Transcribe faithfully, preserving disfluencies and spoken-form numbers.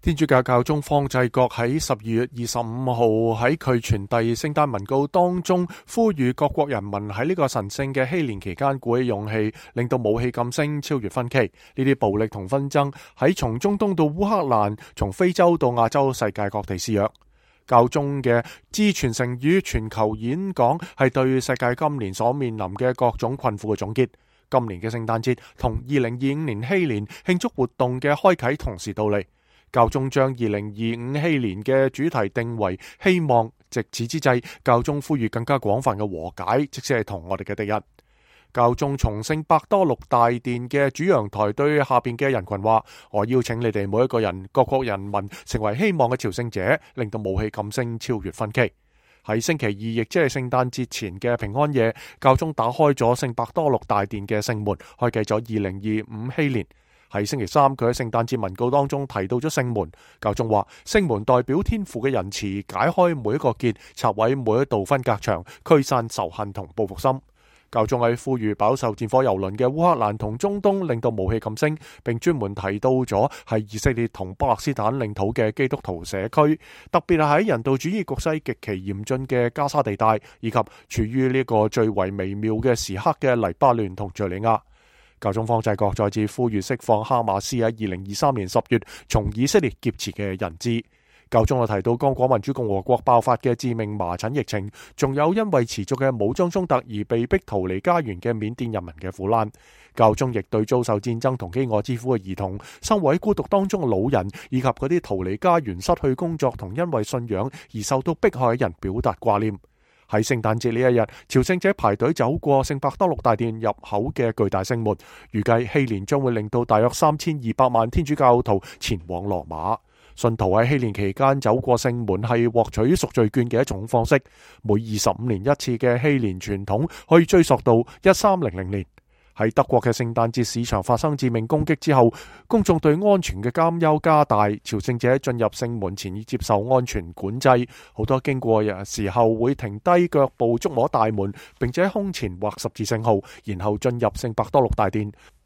天主教教宗方濟各喺十二月二十五號喺佢傳遞聖誕文告當中，呼籲各國人民喺呢個神聖嘅禧年期間鼓起勇氣，令到武器禁聲，超越分歧。呢啲暴力同紛爭喺從中東到烏克蘭，從非洲到亞洲，世界各地肆虐。教宗嘅致傳承與全球演講係對世界今年所面臨嘅各種困苦嘅總結。今年嘅聖誕節同二零二五年禧年慶祝活動嘅開啟同時到嚟。教宗將二零二五禧年嘅主題定為希望，藉此之際，教宗呼籲更加廣泛嘅和解，即使係同我哋嘅敵人。教宗從聖伯多祿大殿嘅主陽台對下邊嘅人群話：我邀請你哋每一個人、各國人民成為希望嘅朝聖者，令到武器禁聲，超越分歧。喺星期二，亦即係聖誕節前嘅平安夜，教宗打開咗聖伯多祿大殿嘅聖門，開啟咗二零二五禧年。喺星期三，佢喺聖誕節文告當中提到咗聖門。教宗話：聖門代表天父嘅仁慈，解開每一個結，拆毀每一道分隔牆，驅散仇恨同報復心。教宗喺呼籲飽受戰火蹂躪嘅烏克蘭同中東，令到武器禁聲，並專門提到咗係以色列同巴勒斯坦領土嘅基督徒社區，特別係喺人道主義局勢極其嚴峻嘅加沙地帶，以及處於呢個最為微妙嘅時刻嘅黎巴嫩同敘利亞。教宗方濟各再次呼籲釋放哈馬斯喺二零二三年十月從以色列劫持嘅人質。教宗又提到剛果民主共和國爆發嘅致命麻疹疫情，仲有因為持續嘅武裝衝突而被逼逃離家園嘅緬甸人民嘅苦難。教宗亦對遭受戰爭同飢餓之苦嘅兒童、生活喺孤獨當中嘅老人，以及嗰啲逃離家園、失去工作同因為信仰而受到迫害嘅人表達掛念。喺聖誕節呢一日，朝聖者排隊走過聖伯多祿大殿入口嘅巨大聖門，預計禧年將會令到大約三千二百萬天主教徒前往羅馬。信徒喺禧年期間走過聖門係獲取贖罪券嘅一種方式。每二十五年一次嘅禧年傳統可以追溯到一三零零年。喺德國嘅聖誕節市場發生致命攻擊之後，公眾對安全嘅擔憂加大，朝聖者進入聖門前要接受安全管制，好多經過嘅時候會停低腳步觸摸大門，並且胸前畫十字聖號，然後進入聖伯多祿大殿。